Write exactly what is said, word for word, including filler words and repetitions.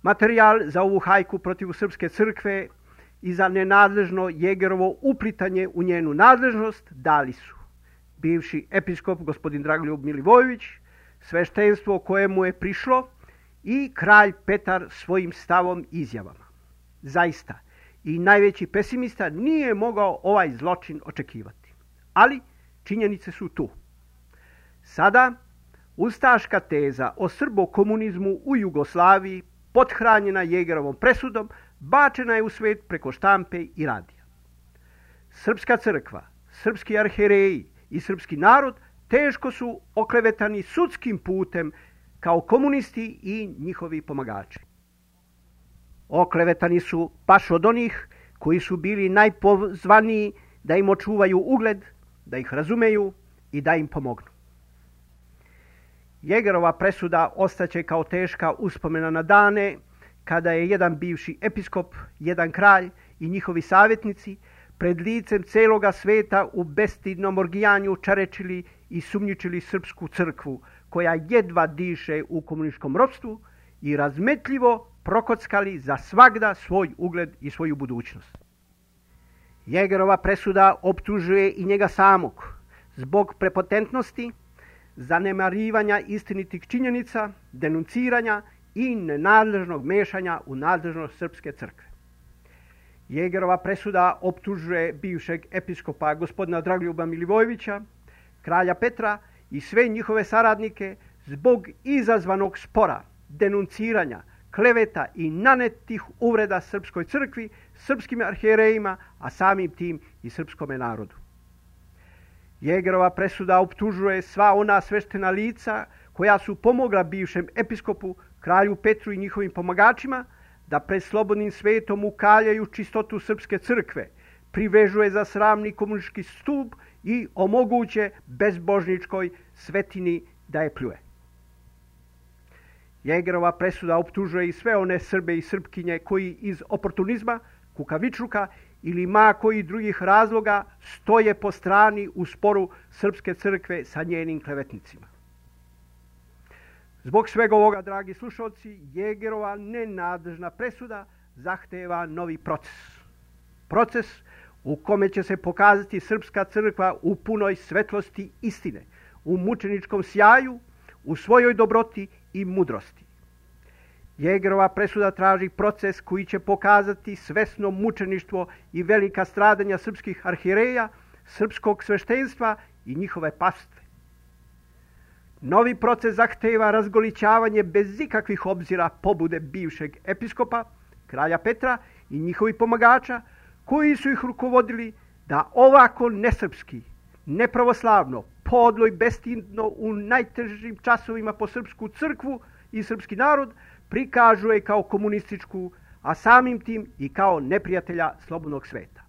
Materijal za ovu hajku protiv Srpske crkve i za nenadležno Jegerovo uplitanje u njenu nadležnost dali su bivši episkop gospodin Dragoljub Milivojević, sveštenstvo kojemu je prišlo i kralj Petar svojim stavom i izjavama. Zaista, i najveći pesimista nije mogao ovaj zločin očekivati. Ali činjenice su tu. Sada, ustaška teza o srbokomunizmu u Jugoslaviji, pothranjena Jegerovom presudom, bačena je u svet preko štampe i radija. Srpska crkva, srpski arhijereji i srpski narod teško su oklevetani sudskim putem kao komunisti i njihovi pomagači. Oklevetani su baš od onih koji su bili najpozvaniji da im očuvaju ugled, da ih razumeju i da im pomognu. Jegerova presuda ostaće kao teška uspomena na dane kada je jedan bivši episkop, jedan kralj i njihovi savjetnici pred licem celoga sveta u bestidnom orgijanju čarečili i sumnjičili srpsku crkvu, koja jedva diše u komunističkom ropstvu, i razmetljivo prokockali za svagda svoj ugled i svoju budućnost. Jegerova presuda optužuje i njega samog zbog prepotentnosti, zanemarivanja istinitih činjenica, denunciranja i nenadležnog mešanja u nadležnost Srpske crkve. Jegerova presuda optužuje bivšeg episkopa gospodina Dragoljuba Milivojevića, kralja Petra i sve njihove saradnike zbog izazvanog spora, denunciranja, kleveta i nanetih uvreda Srpskoj crkvi, srpskim arhijerejima, a samim tim i srpskome narodu. Jegerova presuda optužuje sva ona sveštena lica koja su pomogla bivšem episkopu, kralju Petru i njihovim pomagačima da pred slobodnim svetom ukaljaju čistotu Srpske crkve, privežuje za sramni komunistički stup i omoguće bezbožničkoj svetini da je pljuje. Jegerova presuda optužuje i sve one Srbe i Srpkinje koji iz oportunizma, kukavičluka ili ma koji drugih razloga stoje po strani u sporu Srpske crkve sa njenim klevetnicima. Zbog svega ovoga, dragi slušalci, Jegerova nenadležna presuda zahteva novi proces. Proces u kome će se pokazati Srpska crkva u punoj svetlosti istine, u mučeničkom sjaju, u svojoj dobroti i mudrosti. Jegerova presuda traži proces koji će pokazati svesno mučeništvo i velika stradanja srpskih arhijereja, srpskog sveštenstva i njihove pastve. Novi proces zahteva razgolićavanje bez ikakvih obzira pobude bivšeg episkopa, kralja Petra i njihovih pomagača, koji su ih rukovodili da ovako nesrpski, nepravoslavno, podlo i bestidno u najtežim časovima po srpsku crkvu i srpski narod prikažu je kao komunističku, a samim tim i kao neprijatelja slobodnog sveta.